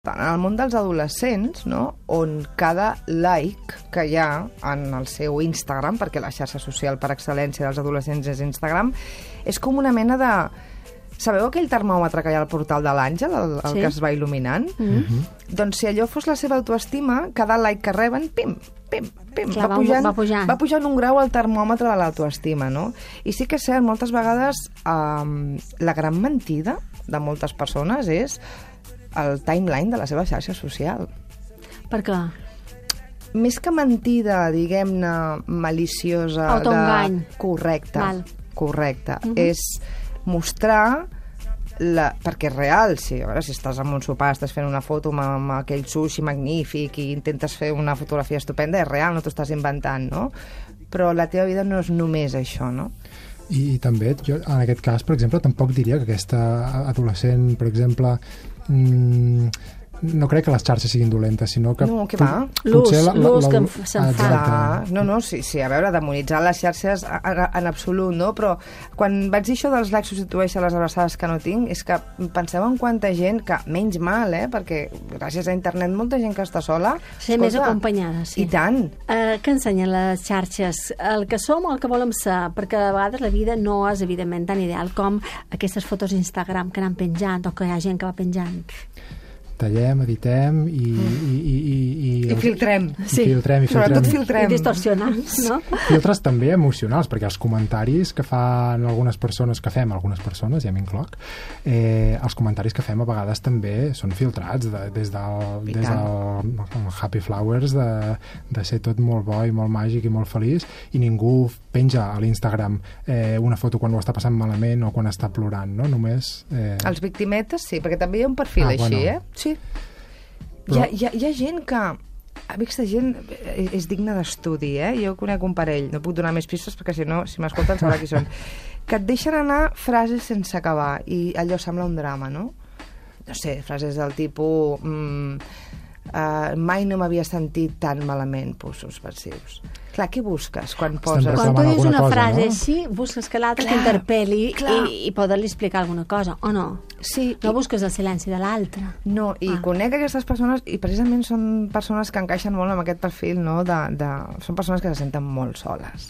En el món dels adolescents, no? On cada like que hi ha en el seu Instagram, perquè la xarxa social per excel·lència dels adolescents és Instagram, és com una mena de... Sabeu aquell termòmetre que hi ha al portal de l'Àngel, el que es va il·luminant? Doncs si allò fos la seva autoestima, cada like que reben, pim, pim, pim, clar, va pujant un grau al termòmetre de l'autoestima, no? I sí que és cert, moltes vegades la gran mentida de moltes persones és el timeline de la seva xarxa social. Per què? Més que mentida, diguem-ne, maliciosa... Autoengany. Correcte. És mostrar... Perquè és real, si estàs en un sopar, estàs fent una foto amb aquell sushi magnífic i intentes fer una fotografia estupenda, és real, no t'ho estàs inventant, no? Però la teva vida no és només això, no? I també, jo, en aquest cas, per exemple, tampoc diria que aquesta adolescent, per exemple, no crec que les xarxes siguin dolentes, sinó que... No, què va? L'ús que se'n fa. No, sí, a veure, demonitzar les xarxes en absolut, no? Però quan vaig dir això dels likes substitueix a les abraçades que no tinc, és que penseu en quanta gent que, menys mal, perquè gràcies a internet molta gent que està sola... Ser més acompanyada, sí. I tant. Què ensenyen les xarxes? El que som o el que volem ser? Perquè a vegades la vida no és, evidentment, tan ideal com aquestes fotos d'Instagram que anem penjant o que hi ha gent que va penjant. Tallem, editem I filtrem. Sobretot filtrem. I distorsionem, no? Filtres també emocionals, perquè els comentaris que fan algunes persones, que fem algunes persones, ja m'incloc, els comentaris que fem a vegades també són filtrats, des del Happy Flowers, de ser tot molt bo i molt màgic i molt feliç, i ningú penja a l'Instagram una foto quan ho està passant malament o quan està plorant, no? Només... Els victimetes sí, perquè també hi ha un perfil així, Sí. Però... Hi ha gent que... Aquesta gent és digna d'estudi, Jo conec un parell, no puc donar més pistes perquè si no, si m'escolten sabrà qui són, que et deixen anar frases sense acabar i allò sembla un drama, no? No sé, frases del tipus... mai no m'havia sentit tan malament, possos passius. Clar, què busques quan poses... Quan tu dius una frase així, busques que l'altre t'interpel·li i poder-li explicar alguna cosa, o no? Sí. No busques el silenci de l'altre. No, i conec aquestes persones, i precisament són persones que encaixen molt amb aquest perfil, no? Són persones que se senten molt soles.